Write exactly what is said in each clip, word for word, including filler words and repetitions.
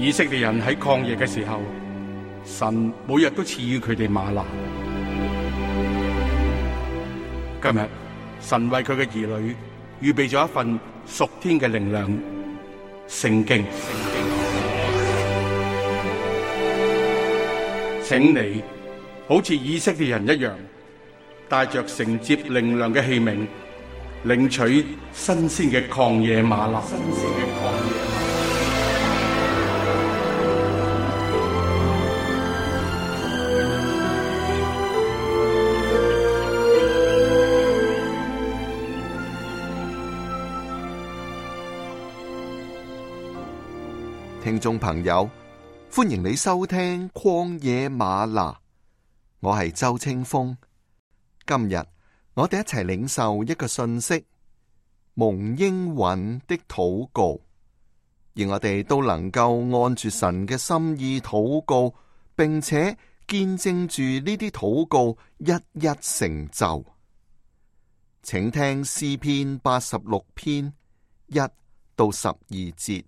以色列人喺曠野嘅時候，神每日都賜予佢哋嗎哪。今日神為佢嘅兒女預備咗一份屬天嘅靈糧——聖經。請你好似以色列人一樣，帶着承接靈糧嘅器皿，領取新鮮嘅曠野嗎哪。新鮮嘅曠野嗎哪。聽眾朋友，歡迎你收聽曠野嗎哪，我係周清風。今日我哋一齊領受一個信息，蒙應允的禱告，而我哋都能夠按住神嘅心意禱告，並且見證住呢啲禱告一一成就。請聽詩篇八十六篇一到十二節。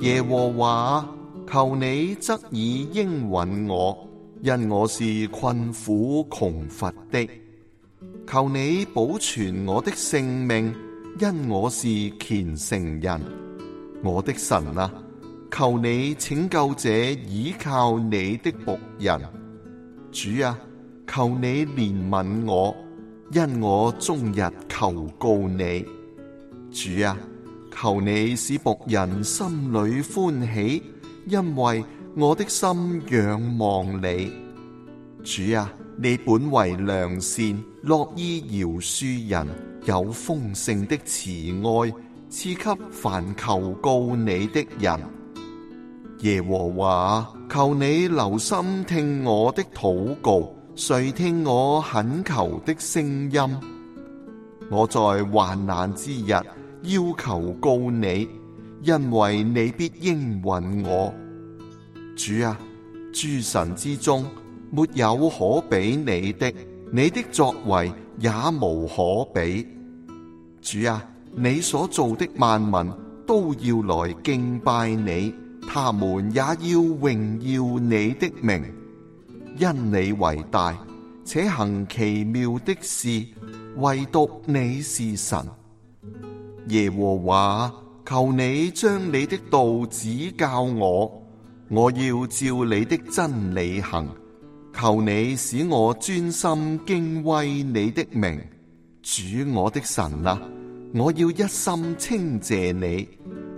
耶和華，求你側耳應允我，因我是困苦窮乏的。求你保存我的性命，因我是虔誠人。我的神啊，求你拯救這倚靠你的僕人。主啊，求你憐憫我，因我終日求告你。主啊，求你使僕人心裏歡喜，因為我的心仰望你。主啊，你本為良善，樂意饒恕人，有豐盛的慈愛，賜給凡求告你的人。耶和華，求你留心聽我的禱告，垂聽我懇求的聲音。我在患難之日要求告你，因為你必應允我。主啊，諸神之中沒有可比你的，你的作為也無可比。主啊，你所造的萬民都要來敬拜你，他們也要榮耀你的名，因你為大，且行奇妙的事，唯獨你是神。耶和華，求你將你的道指教我，我要照你的真理行。求你使我專心敬畏你的名。主我的神啊，我要一心稱謝你，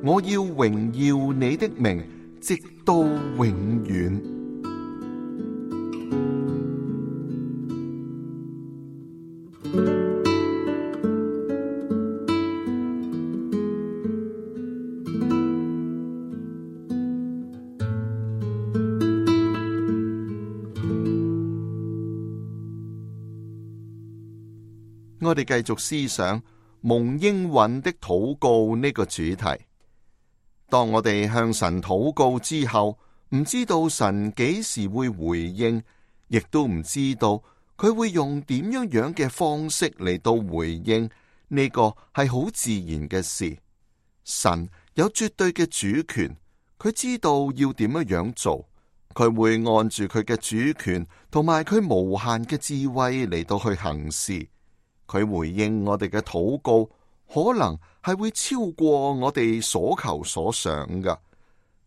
我要榮耀你的名，直到永遠。我哋繼續思想蒙應允的禱告呢個主題。當我哋向神禱告之後，唔知道神幾時會回應，亦都唔知道佢會用點樣樣嘅方式嚟到回應，呢個係好自然嘅事。神有絕對嘅主權，佢知道要點樣樣做，佢會按住佢嘅主權同埋佢無限嘅智慧嚟到去行事。佢回應我哋嘅禱告，可能係會超過我哋所求所想嘅。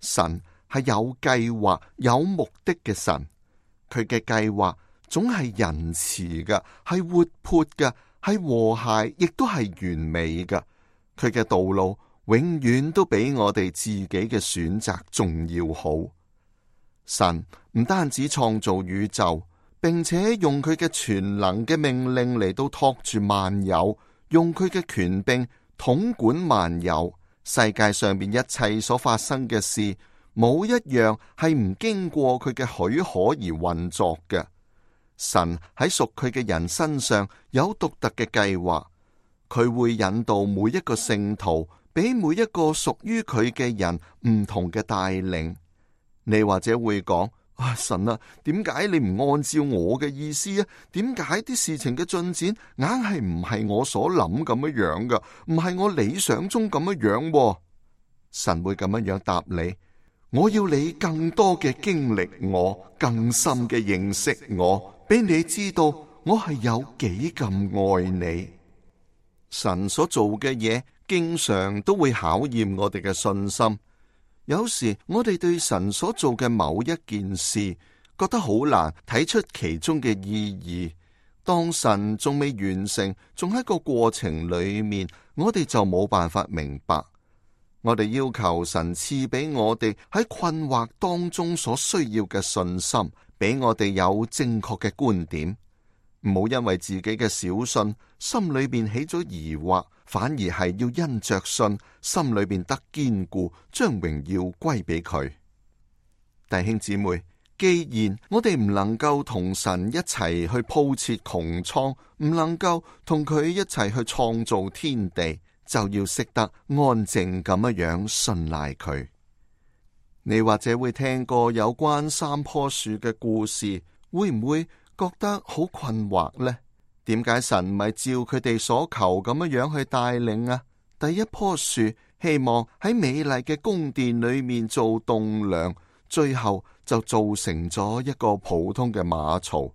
神係有計劃、有目的嘅神，佢嘅計劃總係仁慈嘅，係活潑嘅，係和諧，亦都係完美嘅。佢嘅道路永遠都比我哋自己嘅選擇仲要好。神唔單止創造宇宙，並且用佢嘅全能嘅命令嚟到托住萬有，用佢嘅權柄統管萬有。世界上邊一切所發生嘅事，冇一樣係唔經過佢嘅許可而運作嘅。神喺屬佢嘅人身上有獨特嘅計劃，佢會引導每一個聖徒，俾每一個屬於佢嘅人唔同嘅帶領。你或者會講：啊，神啊，點解你唔按照我嘅意思啊？點解啲事情嘅進展硬係唔係我所諗咁樣樣噶？唔係我理想中咁樣樣喎？神會咁樣樣答你：我要你更多嘅經歷我，更深嘅認識我，俾你知道我係有幾咁愛你。神所做嘅嘢，經常都會考驗我哋嘅信心。有時我哋對神所做嘅某一件事，覺得好難睇出其中嘅意義。當神仲未完成，仲喺個過程裏面，我哋就冇辦法明白。我哋要求神賜俾我哋喺困惑當中所需要嘅信心，俾我哋有正確嘅觀點。唔好因為自己嘅小信，心裏邊起咗疑惑，反而係要因着信，心裏邊得堅固，將榮耀歸俾佢。弟兄姊妹，既然我哋唔能夠同神一齊去鋪設穹蒼，唔能夠同佢一齊去創造天地，就要識得安靜咁樣樣信賴佢。你或者會聽過有關三棵樹嘅故事，會唔會覺得好困惑呢？點解神唔係照佢哋所求咁樣樣去帶領啊？第一棵樹希望喺美麗嘅宮殿裏面做棟樑，最後就造成咗一個普通嘅馬槽。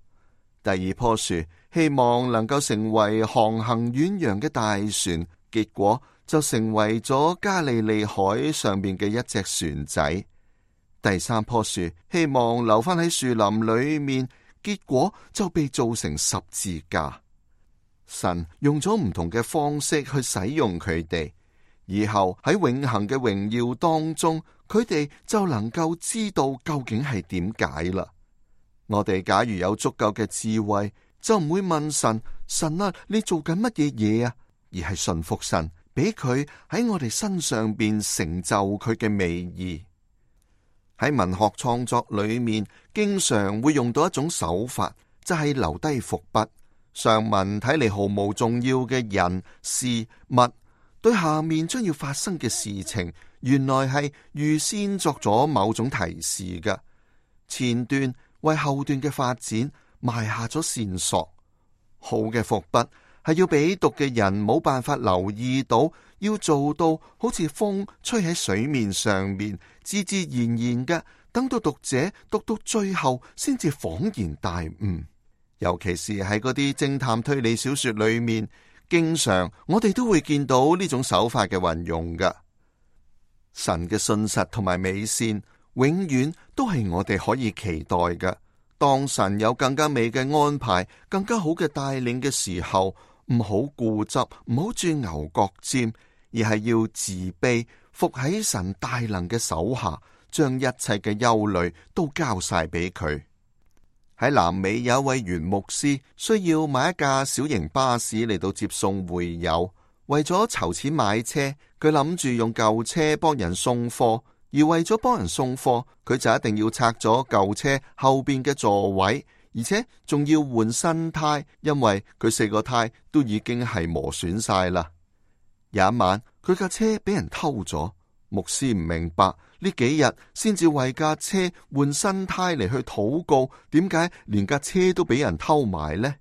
第二棵樹希望能夠成為航行遠洋嘅大船，結果就成為咗加利利海上面嘅一隻船仔。第三棵樹希望留返喺樹林裏面，結果就被造成十字架。神用咗唔同嘅方式去使用佢哋，以後喺永恆嘅榮耀當中，佢哋就能夠知道究竟係點解啦。我哋假如有足夠嘅智慧，就唔會問神：神啊，你做緊乜嘢嘢啊？而係信服神，俾佢喺我哋身上邊成就佢嘅美意。喺文學創作裏面，經常會用到一種手法，就係留低伏筆。上文睇嚟毫無重要嘅人事物，對下面將要發生嘅事情，原來係預先作咗某種提示嘅。前段為後段嘅發展埋下咗線索。好嘅伏筆係要俾讀嘅人冇辦法留意到，要做到好似風吹喺水面上面，自自然然嘅，等到讀者讀到最後先至恍然大悟。尤其是喺嗰啲偵探推理小說裏面，經常我哋都會見到呢種手法嘅運用㗎。神嘅信實同埋美善，永遠都係我哋可以期待嘅。當神有更加美嘅安排、更加好嘅帶領嘅時候，唔好固執，唔好鑽牛角尖，而係要自卑，伏喺神大能嘅手下，將一切嘅憂慮都交晒俾佢。喺南美有一位原牧師，需要買一架小型巴士嚟到接送會友。為咗籌錢買車，佢諗住用舊車幫人送貨，而為咗幫人送貨，佢就一定要拆咗舊車後邊嘅座位，而且仲要換新胎，因為佢四個胎都已經係磨損晒啦。有一晚，佢架車俾人偷咗。牧師唔明白，呢幾日先至為架車換新胎嚟去禱告，點解連架車都俾人偷埋呢？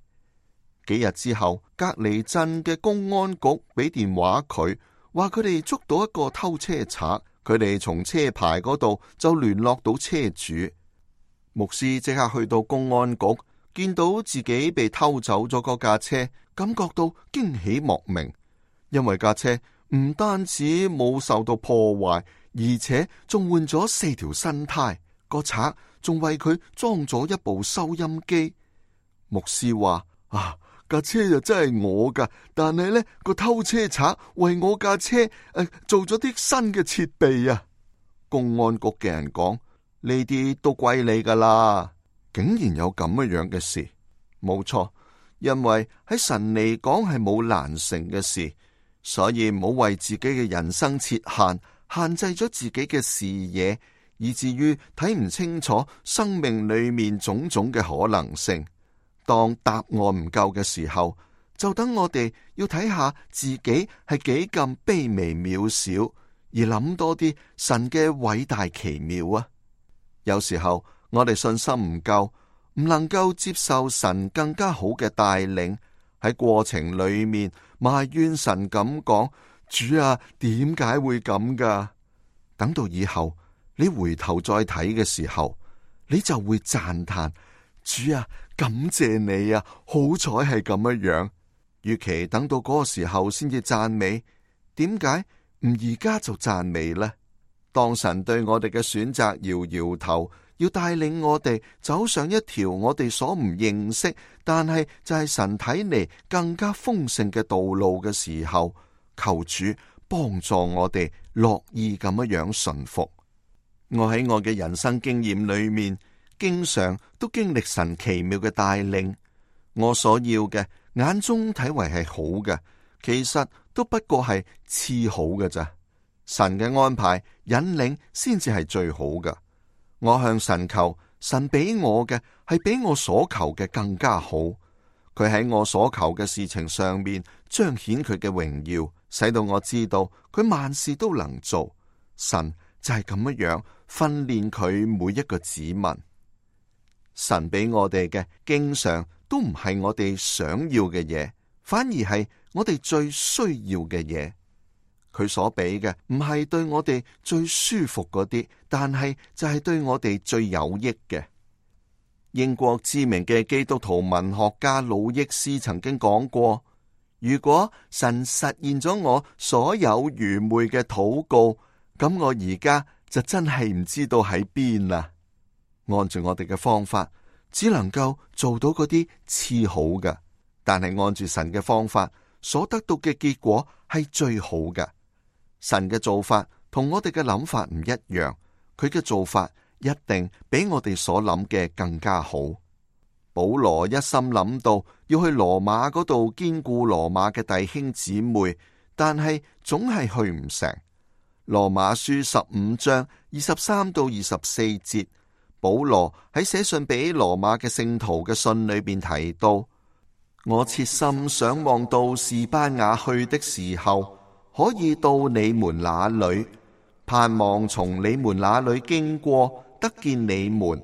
幾日之後，隔離鎮嘅公安局俾電話佢，話佢哋捉到一個偷車賊，佢哋從車牌嗰度就聯絡到車主。牧師即刻去到公安局，見到自己被偷走咗嗰架車，感覺到驚喜莫名，因為架車唔單止冇受到破壞，而且仲換咗四條新胎。個賊仲為佢裝咗一部收音機。牧師話：啊，架車就真係我噶，但係呢個偷車賊為我架車誒、呃、做咗啲新嘅設備啊！公安局嘅人講，呢啲都歸你噶啦。竟然有咁樣嘅事，冇錯，因為喺神嚟講係冇難成嘅事。所以唔好為自己嘅人生設限，限制咗自己嘅視野，以至於睇唔清楚生命裏面種種嘅可能性。當答案唔夠嘅時候，就等我哋要睇下自己係幾咁卑微渺小，而諗多啲神嘅偉大奇妙啊！有時候我哋信心唔夠，唔能夠接受神更加好嘅帶領，喺過程裏面埋怨神咁講：主啊，點解會咁噶？等到以後你回頭再睇嘅時候，你就會讚嘆：主啊，感謝你啊，好彩係咁樣樣。與其等到嗰個時候先至讚美，點解唔而家就讚美呢？當神對我哋嘅選擇搖搖頭，要帶領我哋走上一條我哋所唔認識，但係就係神睇嚟更加豐盛嘅道路嘅時候，求主幫助我哋樂意咁樣順服。我喺我嘅人生經驗裏面，經常都經歷神奇妙嘅帶領。我所要嘅眼中睇為係好嘅，其實都不過係次好嘅咋。神嘅安排引領先至係最好嘅。我向神求，神俾我嘅係比我所求嘅更加好。佢喺我所求嘅事情上面彰顯佢嘅榮耀，使到我知道佢萬事都能做。神就係咁樣訓練佢每一個子民。神俾我哋嘅經常都唔係我哋想要嘅嘢，反而係我哋最需要嘅嘢。佢所俾嘅唔係對我哋最舒服嗰啲，但係就係對我哋最有益嘅。英國知名嘅基督徒文學家魯益斯曾經講過：如果神實現咗我所有愚昧嘅禱告，咁我而家就真係唔知道喺邊啦。按住我哋嘅方法，只能夠做到嗰啲次好嘅，但係按住神嘅方法所得到嘅結果係最好嘅。神嘅做法同我哋嘅諗法唔一樣，佢嘅做法一定比我哋所諗嘅更加好。保羅一心諗到要去羅馬嗰度堅固羅馬嘅弟兄姊妹，但係總係去唔成。羅馬書十五章二十三到二十四節，保羅喺寫信俾羅馬嘅聖徒嘅信裏邊提到：我切心想望到士班雅去的時候，可以到你們那裏，盼望從你們那裏經過，得見你們，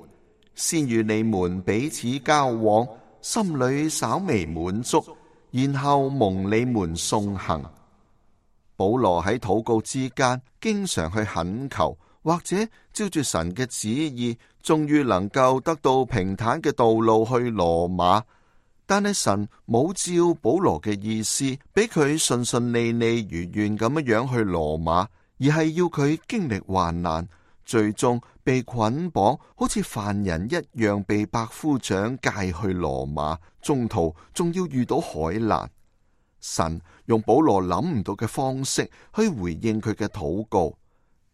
先與你們彼此交往，心裏稍微滿足，然後蒙你們送行。保羅喺禱告之間，經常去懇求，或者照住神嘅旨意，終於能夠得到平坦嘅道路去羅馬。但係神冇照保羅嘅意思，俾佢順順利利如願咁樣去羅馬，而係要佢經歷患難，最終被捆綁，好似犯人一樣被百夫長介去羅馬，中途仲要遇到海難。神用保羅諗唔到嘅方式去回應佢嘅禱告。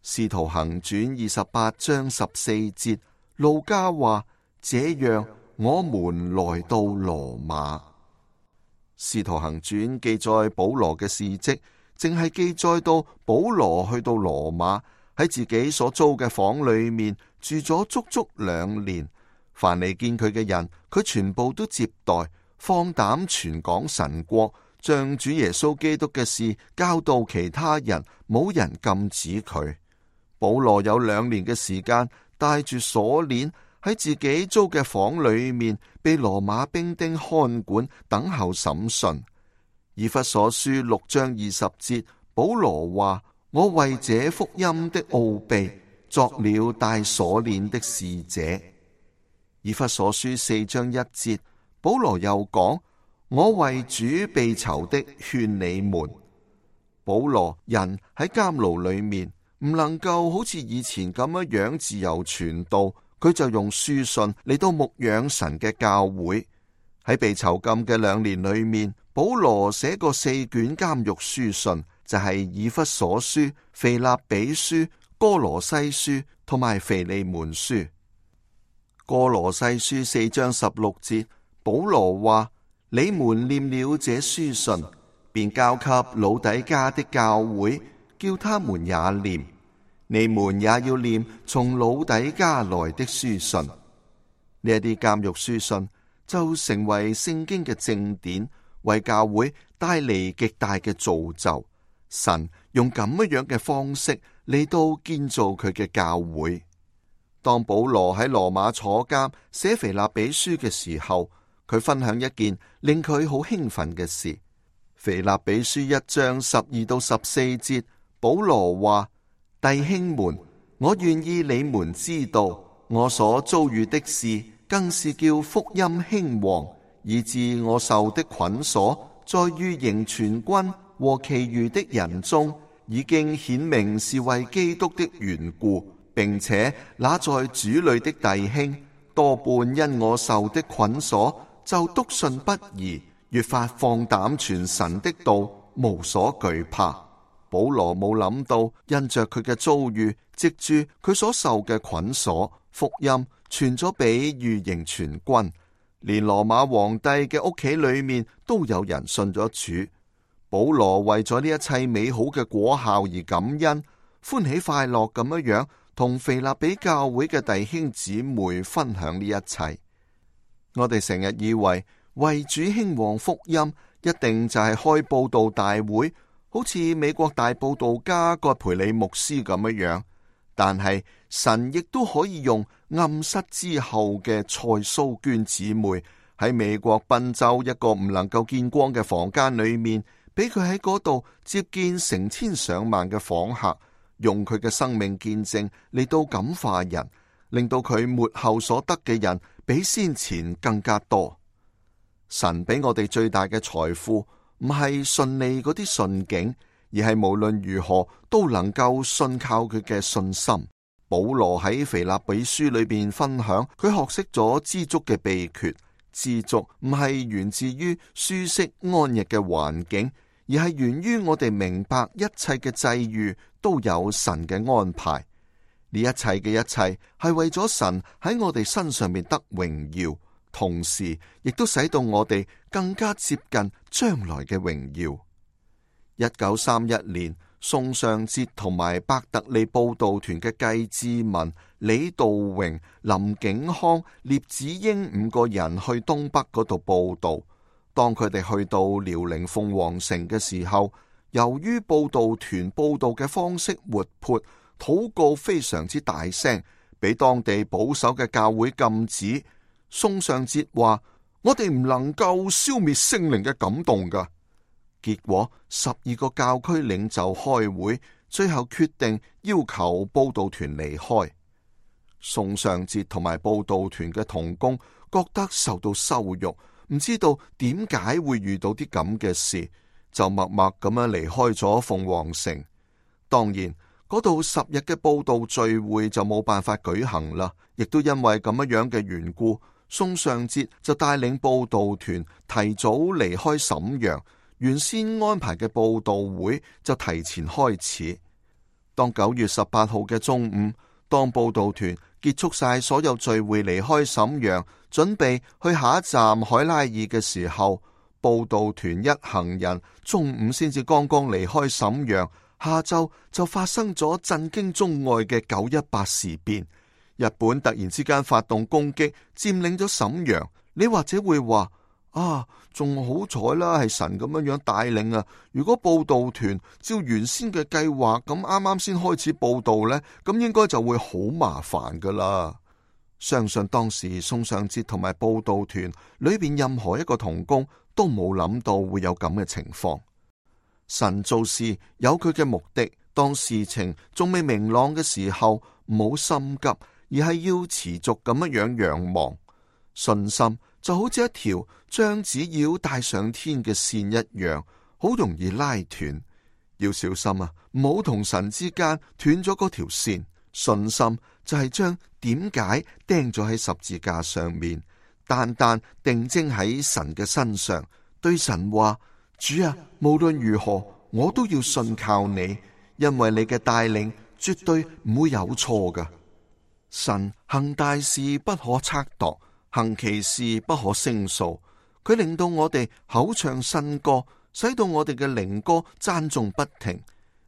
使徒行傳二十八章十四節，路加話：這樣我們來到羅馬。使徒行傳記載保羅嘅事跡，淨係記載到保羅去到羅馬，喺自己所租嘅房裏面住咗足足兩年。凡嚟見佢嘅人，佢全部都接待，放膽傳講神國，將主耶穌基督嘅事教導其他人，冇人禁止佢。保羅有兩年嘅時間帶住鎖鏈喺自己租嘅房裏面，被羅馬兵丁看管，等候審訊。以弗所書六章二十節，保羅話：我為這福音的奧秘作了帶鎖鏈的使者。以弗所書四章一節，保羅又講：我為主被囚的勸你們。保羅人喺監牢裏面，唔能夠好似以前咁樣樣自由傳道，佢就用書信嚟到牧養神嘅教會。喺被囚禁嘅兩年裏面，保羅寫過四卷監獄書信，就係、是、以弗所書、腓立比書、哥羅西書同埋腓利門書。哥羅西書四章十六節，保羅話：你們念了這書信，便交給老底嘉的教會，叫他們也念。你們也要念從老底嘉來的書信。呢一啲監獄書信就成為聖經嘅正典，為教會帶嚟極大嘅造就。神用咁樣嘅方式嚟到建造佢嘅教會。當保羅喺羅馬坐監寫腓立比書嘅時候，佢分享一件令佢好興奮嘅事。腓立比書一章十二到十四節，保羅話：弟兄們，我願意你們知道，我所遭遇的事，更是叫福音興旺，以致我受的捆鎖，在御營全軍和其餘的人中，已經顯明是為基督的緣故，並且那在主裏的弟兄，多半因我受的捆鎖，就篤信不疑，越發放膽傳神的道，無所懼怕。保羅冇諗到，因着佢嘅遭遇，藉住佢所受嘅捆鎖，福音傳咗俾御營全軍，連羅馬皇帝嘅屋企裏面都有人信咗主。保羅為咗呢一切美好嘅果效而感恩，歡喜快樂咁樣樣同腓立比教會嘅弟兄姊妹分享呢一切。我哋成日以為為主興旺福音，一定就係開佈道大會，好似美國大佈道家葛培理牧師咁樣樣。但係神亦都可以用暗室之後嘅蔡蘇娟姊妹喺美國賓州一個唔能夠見光嘅房間裏面，俾佢喺嗰度接見成千上萬嘅訪客，用佢嘅生命見證嚟到感化人，令到佢末後所得嘅人比先前更加多。神俾我哋最大嘅財富，唔係順利嗰啲順境，而係無論如何都能夠信靠佢嘅信心。保羅喺腓立比書裏邊分享，佢學識咗知足嘅秘訣。知足唔係源自於舒適安逸嘅環境，而係源於我哋明白一切嘅際遇都有神嘅安排。呢一切嘅一切係為咗神喺我哋身上面得榮耀，同時亦都使到我哋更加接近將來嘅榮耀。一九三一年，宋尚節同埋伯特利佈道團嘅計志文、李道榮、林景康、聶子英五個人去東北嗰度佈道。當佢哋去到遼寧鳳凰城嘅時候，由於佈道團佈道嘅方式活潑，禱告非常之大聲，俾當地保守嘅教會禁止。宋尚節話：我哋唔能夠消滅聖靈嘅感動噶。結果十二個教區領袖開會，最後決定要求佈道團離開。宋尚節同埋佈道團嘅同工覺得受到羞辱，唔知道點解會遇到啲咁嘅事，就默默咁樣離開咗鳳凰城。當然，嗰度十日嘅佈道聚會就冇辦法舉行啦，亦都因為咁樣樣嘅緣故，宋尚節就帶領佈道團提早離開瀋陽。原先安排嘅佈道會就提前開始。當九月十八號嘅中午，當佈道團結束晒所有聚會離開瀋陽，準備去下一站海拉爾嘅時候，佈道團一行人中午先至剛剛離開瀋陽，下晝就發生咗震驚中外嘅九一八事變。日本突然之間發動攻擊，佔領咗瀋陽。你或者會話：啊，仲好彩啦，係神咁樣樣帶領啊！如果佈道團照原先嘅計劃咁啱啱先開始佈道呢，咁應該就會好麻煩噶啦。相信當時宋尚節同埋佈道團裏邊任何一個同工都冇諗到會有咁嘅情況。神做事有佢嘅目的，當事情仲未明朗嘅時候，唔好心急，而係要持續咁樣樣仰望。信心就好似一條將紙鷂帶上天嘅線一樣，好容易拉斷。要小心啊，唔好同神之間斷咗嗰條線。信心就係將點解釘咗喺十字架上面，單單定睛喺神嘅身上，對神話：主啊，無論如何，我都要信靠你，因為你嘅帶領絕對唔會有錯噶。神行大事不可測度，行其事不可勝數，佢令到我哋口唱新歌，使到我哋嘅靈歌讚頌不停。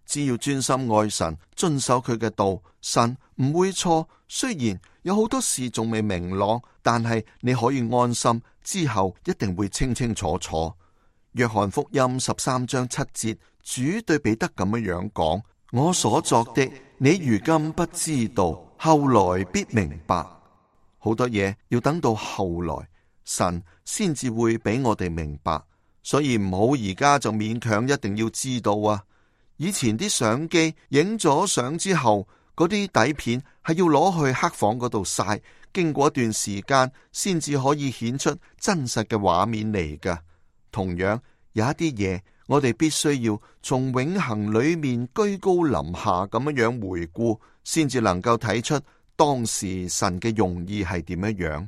只要專心愛神，遵守佢嘅道，神唔會錯。雖然有好多事仲未明朗，但係你可以安心，之後一定會清清楚楚。約翰福音十三章七節，主對彼得咁樣樣講：我所作的，你如今不知道，後來必明白。好多嘢要等到後來，神先至會俾我哋明白，所以唔好而家就勉強一定要知道啊！以前啲相機影咗相之後，嗰啲底片係要攞去黑房嗰度曬，經過一段時間先至可以顯出真實嘅畫面嚟㗎。同樣有一啲嘢，我哋必須要從永恆裏面居高臨下咁樣樣回顧，先至能夠睇出當時神嘅用意係點樣樣。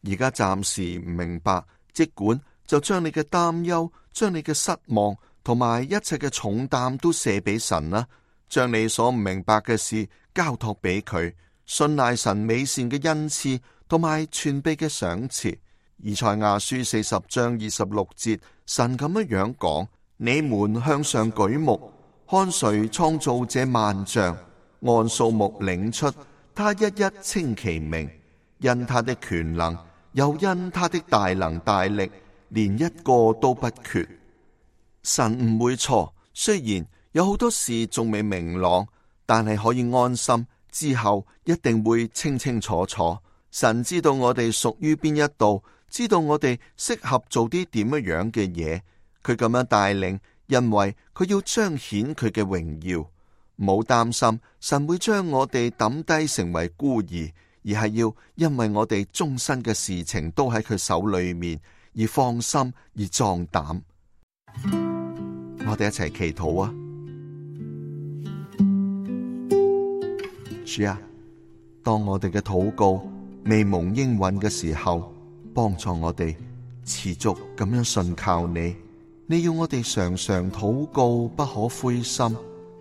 而家暫時唔明白，即管就將你嘅擔憂、將你嘅失望同埋一切嘅重擔都卸俾神啦，將你所唔明白嘅事交託俾佢，信賴神美善嘅恩賜同埋全備嘅賞賜。以賽亞書四十章二十六節，神咁樣樣講：你們向上舉目，看誰創造這萬象，按數目領出，他一一稱其名，因他的權能，又因他的大能大力，連一個都不缺。神唔會錯，雖然有好多事仲未明朗，但係可以安心，之後一定會清清楚楚。神知道我哋屬於邊一度，知道我哋適合做啲點樣樣嘅嘢，佢咁樣帶領，因為佢要彰顯佢嘅榮耀。唔好擔心，神會將我哋抌低成為孤兒，而係要因為我哋終身嘅事情都喺佢手裏面，而放心而壯膽。我哋一齊祈禱啊！主啊，當我哋嘅禱告未蒙應允嘅時候，幫助我哋持續咁樣信靠你。你要我哋常常禱告，不可灰心，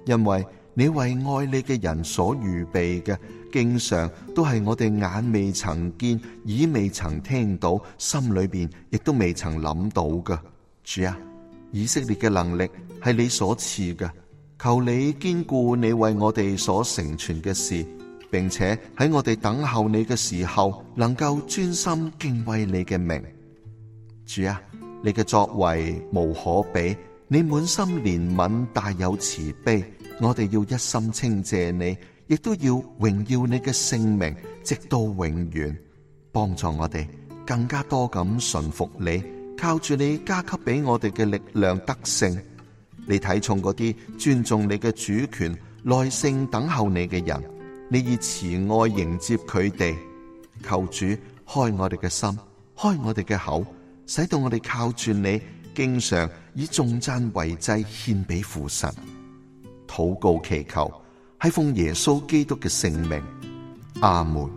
因為你為愛你嘅人所預備嘅，經常都係我哋眼未曾見，耳未曾聽到，心裏邊亦都未曾諗到嘅。主啊，以色列嘅能力係你所賜嘅，求你堅固你為我哋所成全嘅事，並且喺我哋等候你嘅時候，能夠專心敬畏你嘅名。主啊，你嘅作為無可比，你滿心憐憫，大有慈悲。我哋要一心稱謝你，亦都要榮耀你嘅聖名，直到永遠。幫助我哋更加多咁順服你，靠住你加給俾我哋嘅力量得勝。你睇重嗰啲尊重你嘅主權、耐性等候你嘅人，你以慈愛迎接佢哋。求主開我哋嘅心，開我哋嘅口，使到我哋靠住你，經常以頌讚為祭獻俾父神。禱告祈求，係奉耶穌基督嘅聖名，阿門。